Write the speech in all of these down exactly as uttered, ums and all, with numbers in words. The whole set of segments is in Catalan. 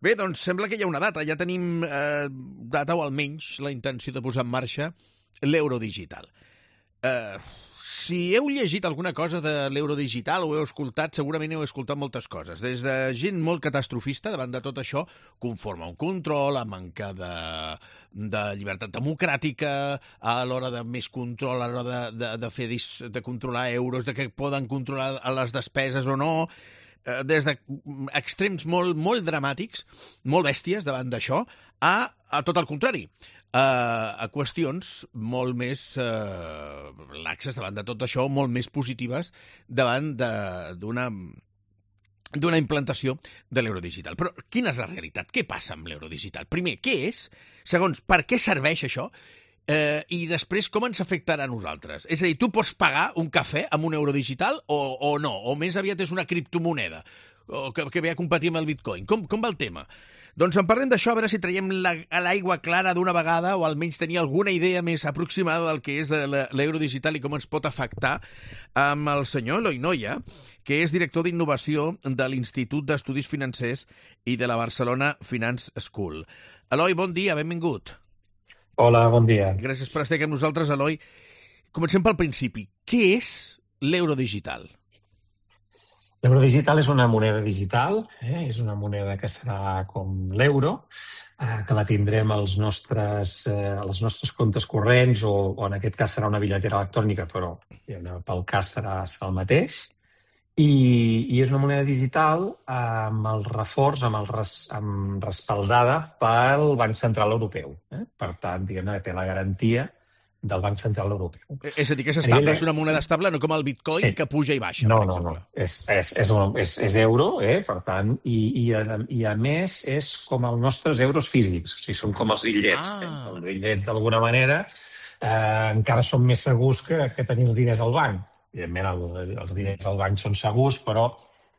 Bé, doncs sembla que hi ha una data. Ja tenim eh, data, o almenys la intenció de posar en marxa l'euro digital. Eh, si heu llegit alguna cosa de l'euro digital o heu escoltat, segurament heu escoltat moltes coses. Des de gent molt catastrofista davant de tot això, conforme a un control, a manca de, de llibertat democràtica, a l'hora de més control, a l'hora de, de, de, fer, de controlar euros, de que poden controlar les despeses o no, des d'extrems molt, molt dramàtics, molt bèsties davant d'això, a, a tot el contrari, a, a qüestions molt més eh, laxes davant de tot això, molt més positives davant d'una d'una implantació de l'euro digital. Però quina és la realitat? Què passa amb l'euro digital? Primer, què és? Segons, per què serveix això? Eh, I després, com ens afectarà a nosaltres? És a dir, tu pots pagar un cafè amb un euro digital o, o no? O més aviat és una criptomoneda o que, que ve a competir amb el bitcoin? Com, com va el tema? Doncs en parlem d'això, a veure si traiem la, a l'aigua clara d'una vegada o almenys tenir alguna idea més aproximada del que és l'euro digital i com ens pot afectar, amb el senyor Eloi Noya, que és director d'innovació de l'Institut d'Estudis Financers i de la Barcelona Finance School. Eloi, bon dia, benvingut. Hola, bon dia. Gràcies per estar aquí amb nosaltres, Eloi. Comencem pel principi. Què és l'euro digital? L'euro digital és una moneda digital, eh? És una moneda que serà com l'euro, eh, que la tindrem als nostres, eh, als nostres comptes corrents, o, o en aquest cas serà una bitlletera electrònica, però pel cas serà, serà el mateix. I, i és una moneda digital amb el reforç, amb el res, amb respaldada pel Banc Central Europeu. Eh? Per tant, diguem-ne que té la garantia del Banc Central Europeu. És a dir, que és estable, és una moneda estable, no com el bitcoin, sí, que puja i baixa, no, per exemple. No, no, és, és, és, és, és euro, eh? Per tant, i, i, a, i a més és com els nostres euros físics, o sigui, són com els bitllets. Ah. Eh? Els bitllets, d'alguna manera, eh, encara són més segurs que, que tenir els diners al banc. Evidentment, el, els diners al banc són segurs, però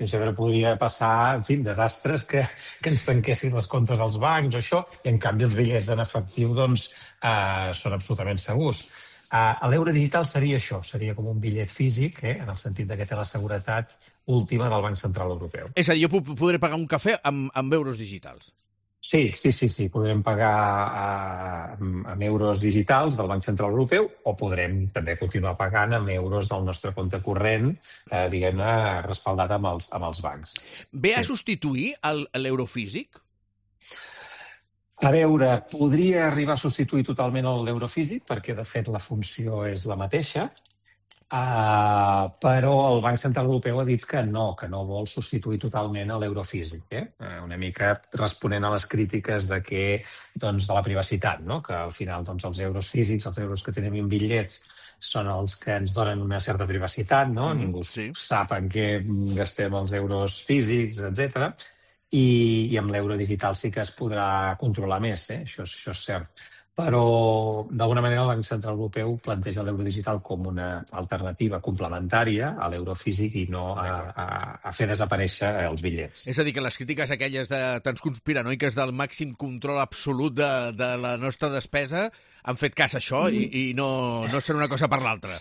sempre podria passar, en fi, desastres que, que ens tanquessin les comptes als bancs o això, i en canvi els bitllets en efectiu doncs, eh, són absolutament segurs. Eh, L'euro digital seria això, seria com un bitllet físic, eh, en el sentit de que té la seguretat última del Banc Central Europeu. És a dir, jo podré pagar un cafè amb, amb euros digitals. Sí, sí, sí, sí. Podrem pagar amb, amb euros digitals del Banc Central Europeu o podrem també continuar pagant amb euros del nostre compte corrent, eh, diguem-ne, respaldat amb els, amb els bancs. Ve a sí. substituir l'euro físic? A veure, podria arribar a substituir totalment l'euro físic perquè, de fet, la funció és la mateixa, Uh, però el Banc Central Europeu ha dit que no, que no vol substituir totalment l'euro físic, eh? Uh, una mica responent a les crítiques de que, doncs, de la privacitat, no? Que al final doncs, els euros físics, els euros que tenim en bitllets, són els que ens donen una certa privacitat, no? Mm, Ningú sí. sap en què gastem els euros físics, etcètera. I, i amb l'euro digital sí que es podrà controlar més, eh? Això, això és cert. Però, d'alguna manera, el Banc Central Europeu planteja l'euro digital com una alternativa complementària a l'euro físic i no a, a, a fer desaparèixer els bitllets. És a dir, que les crítiques aquelles de tants conspiranoiques del màxim control absolut de, de la nostra despesa han fet cas a això mm. i, i no, no serà una cosa per l'altra.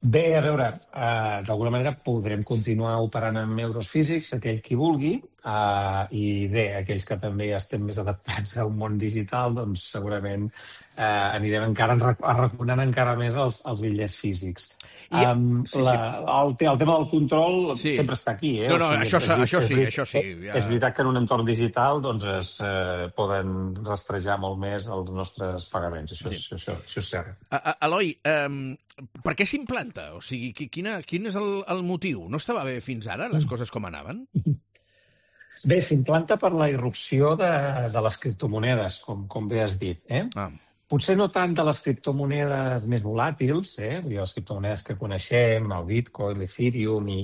Bé, a veure, uh, d'alguna manera podrem continuar operant amb euros físics, aquell qui vulgui, uh, i bé, aquells que també estem més adaptats a un món digital, doncs segurament uh, anirem encara arraconant encara més els, els bitllets físics. I, um, sí, la, sí. El, el tema del control sí. sempre està aquí. Eh? No, no, o sigui, això, és, això sí, és, això sí. Ja... És veritat que en un entorn digital doncs, es uh, poden rastrejar molt més els nostres pagaments, això, sí. això, això, això és cert. Uh, Eloi, um, per què s'implanta? O sigui, quina, quin és el, el motiu? No estava bé fins ara les coses com anaven? Bé, s'implanta per la irrupció de, de les criptomonedes, com, com bé has dit. Eh? Ah. Potser no tant de les criptomonedes més volàtils, eh? les criptomonedes que coneixem, el Bitcoin, l'Ethereum i,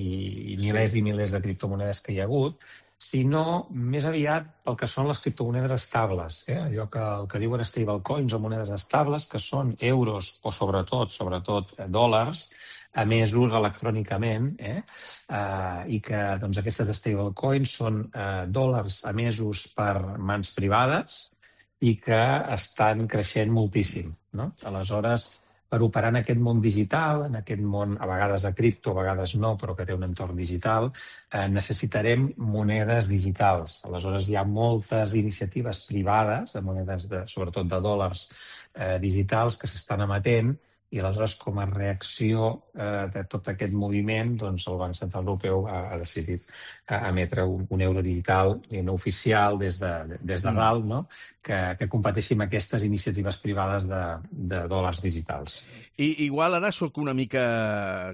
i milers sí. i milers de criptomonedes que hi ha hagut, sinó més aviat pel que són les criptomonedes estables, eh? allò que, el que diuen stablecoins o monedes estables, que són euros o sobretot, sobretot dòlars, emesos electrònicament, eh? Uh, i que doncs, aquestes stablecoins són uh, dòlars emesos per mans privades i que estan creixent moltíssim. No? Aleshores, per operar en aquest món digital, en aquest món a vegades de cripto, a vegades no, però que té un entorn digital, eh, necessitarem monedes digitals. Aleshores, hi ha moltes iniciatives privades, de monedes, de, sobretot de dòlars eh, digitals, que s'estan emetent, i aleshores, com a reacció eh, de tot aquest moviment, doncs el Banc Central Europeu ha, ha decidit eh, emetre un, un euro digital no oficial des de, des de dalt, no? que, que competeixi amb aquestes iniciatives privades de, de dòlars digitals. I, igual ara sóc una mica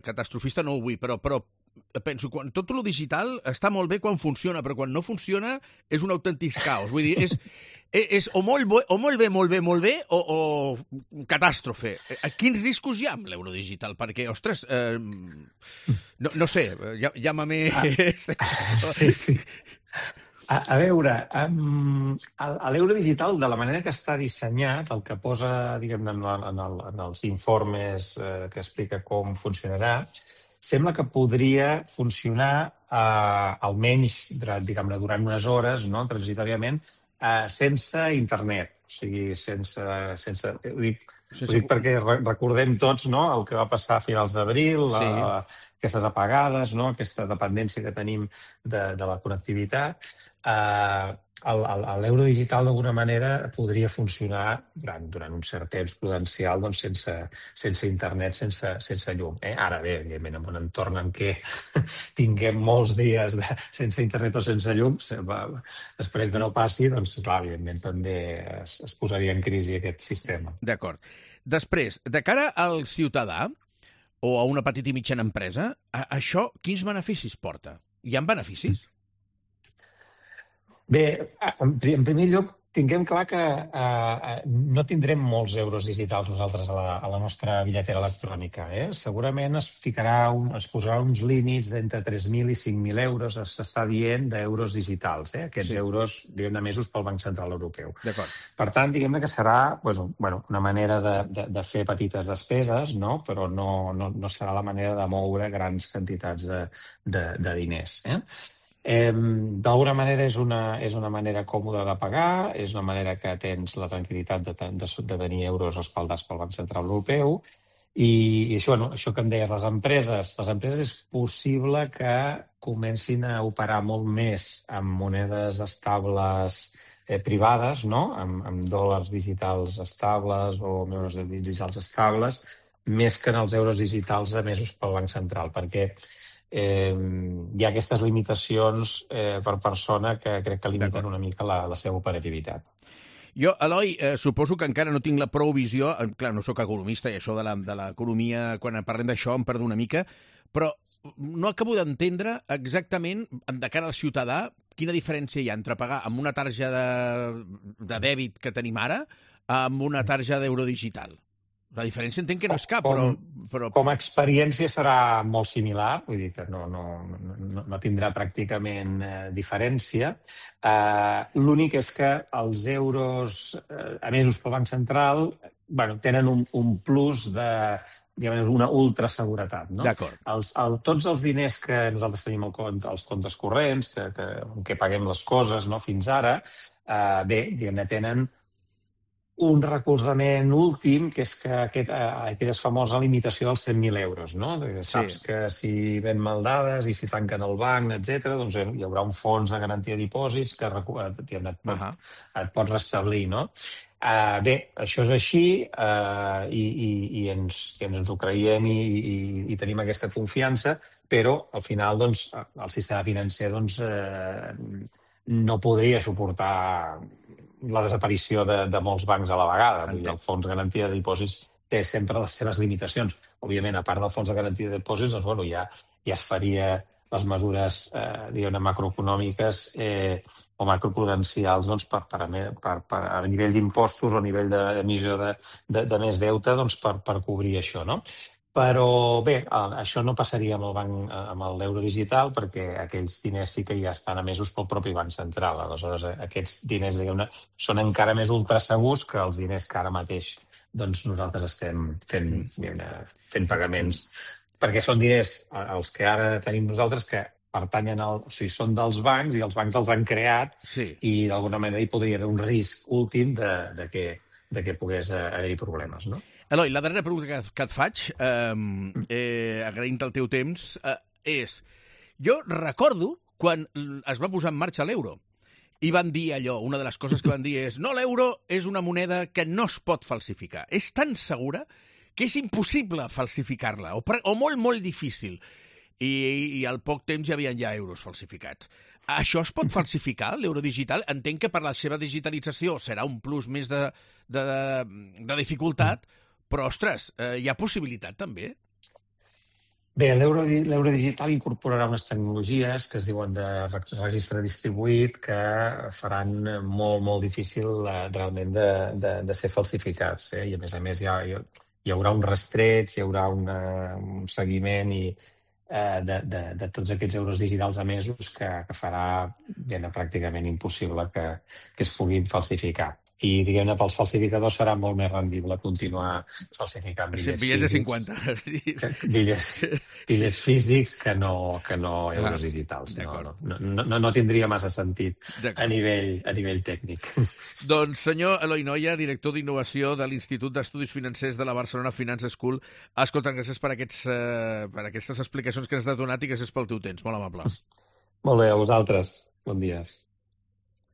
catastrofista, no ho vull, però, però penso, quan tot lo digital està molt bé quan funciona, però quan no funciona és un autèntic caos. Vull dir, és, és o, molt bo, o molt bé, molt bé, molt bé, o, o catàstrofe. Quins riscos hi ha amb l'euro digital? Perquè, ostres, eh, no, no sé, llama-me... Ah, sí, sí. A, a veure, um, l'euro digital, de la manera que està dissenyat, el que posa, diguem-ne, en, en, el, en els informes eh, que explica com funcionarà, sembla que podria funcionar eh, almenys, diguem-ne, durant unes hores, no?, transitoriament, eh, sense internet. O sigui, sense... sense ho dic, ho dic perquè recordem tots, no?, el que va passar a finals d'abril, sí. Aquestes apagades, no?, aquesta dependència que tenim de, de la connectivitat. Eh, L'euro digital, d'alguna manera, podria funcionar durant, durant un cert temps prudencial doncs, sense, sense internet, sense, sense llum. Eh? Ara bé, evidentment, en un entorn en què tinguem molts dies de, sense internet o sense llum, va, esperem que no passi, doncs, clar, evidentment, també es, es posaria en crisi aquest sistema. D'acord. Després, de cara al ciutadà o a una petita i mitjana empresa, a, això quins beneficis porta? Hi ha beneficis? Bé, en primer lloc, tinguem clar que eh, no tindrem molts euros digitals nosaltres a la, a la nostra bitlletera electrònica. Eh? Segurament es ficarà un, es posarà uns límits d'entre tres mil i cinc mil euros, s'està dient, d'euros digitals. Eh? Aquests sí. euros, diguem-ne, emesos pel Banc Central Europeu. Per tant, diguem-ne que serà pues, bueno, una manera de, de, de fer petites despeses, no? Però no, no, no serà la manera de moure grans quantitats de, de, de diners. Eh? Eh, D'alguna manera és una, és una manera còmoda de pagar, és una manera que tens la tranquil·litat de, de, de tenir euros respaldats pel Banc Central Europeu i, i això, bueno, això que em deies, les empreses, les empreses és possible que comencin a operar molt més amb monedes estables eh, privades, no? amb, amb dòlars digitals estables o euros digitals estables, més que en els euros digitals emesos pel Banc Central, perquè Eh, hi ha aquestes limitacions eh, per persona que crec que limiten una mica la, la seva operativitat. Jo, Eloi, eh, suposo que encara no tinc la prou visió, eh, clar, no sóc economista i això de l'economia, quan parlem d'això em perdo una mica, però no acabo d'entendre exactament, de cara al ciutadà, quina diferència hi ha entre pagar amb una tarja de, de dèbit que tenim ara amb una tarja d'euro digital. La diferència entenc que no és cap, però, però... Com a experiència serà molt similar, vull dir que no, no, no, no tindrà pràcticament eh, diferència. Eh, L'únic és que els euros eh, emesos pel Banc Central bueno, tenen un, un plus de una ultraseguretat. No? D'acord. Els, el, tots els diners que nosaltres tenim al compte, als comptes corrents, que, que, que paguem les coses no, fins ara, eh, bé, diguem-ne, tenen un recolzament últim, que és que aquest, aquella famosa limitació dels cent mil euros. No? Saps sí. que si ven mal dades i si tanquen el banc, etcètera, doncs hi haurà un fons de garantia de dipòsits que et, et, pot, uh -huh. et pot restablir. No? Uh, bé, això és així uh, i, i, i, ens, i ens ho creiem i, i, i tenim aquesta confiança, però al final doncs, el sistema financer doncs, uh, no podria suportar la desaparició de, de molts bancs a la vegada. Vull dir, el fons de garantia de dipòsits té sempre les seves limitacions. Òbviament, a part del fons de garantia de dipòsits, doncs, bueno, ja, ja es faria les mesures eh, diguem-ne macroeconòmiques eh, o macroprudencials doncs, per, per, per, per, a nivell d'impostos o a nivell d'emissió de, de, de més deute doncs, per, per cobrir això. No? Però bé, això no passaria amb el banc, amb l'euro digital, perquè aquells diners sí que ja estan emesos pel propi Banc Central. Aleshores, aquests diners diguem-ne, són encara més ultrasegurs que els diners que ara mateix doncs, nosaltres estem fent, fent pagaments. Perquè són diners, els que ara tenim nosaltres, que pertanyen al, o sigui, són dels bancs i els bancs els han creat sí. i d'alguna manera hi podria haver un risc últim de, de que de que pogués haver-hi problemes, no? Eloi, la darrera pregunta que, que et faig, eh, eh, agraint el teu temps, eh, és... Jo recordo quan es va posar en marxa l'euro i van dir allò, una de les coses que van dir és no, l'euro és una moneda que no es pot falsificar. És tan segura que és impossible falsificar-la, o, o molt, molt difícil. I, i al poc temps hi havia ja euros falsificats. Això es pot falsificar, l'euro digital? Entenc que per la seva digitalització serà un plus més de, de, de dificultat, però, ostres, eh, hi ha possibilitat també? Bé, l'euro digital incorporarà unes tecnologies que es diuen de registre distribuït que faran molt, molt difícil eh, realment de, de, de ser falsificats. Eh? I, a més a més, hi, ha, hi haurà un rastreig, hi haurà una, un seguiment i, eh, de, de, de tots aquests euros digitals emesos que, que farà ben, pràcticament impossible que, que es puguin falsificar. I, diguem-ne, pels falsificadors serà molt més rendible continuar falsificant bitllets bitllets de físics. cinquanta. Bitllets, bitllets físics que no, que no euros digitals. No, no, no, no, no tindria massa sentit a nivell, a nivell tècnic. Doncs, senyor Eloi Noya, director d'innovació de l'Institut d'Estudis Financers de la Barcelona Finance School, escolta, gràcies per, aquests, eh, per aquestes explicacions que ens has donat i gràcies pel teu temps. Molt amable. Molt bé, a vosaltres. Bon dia.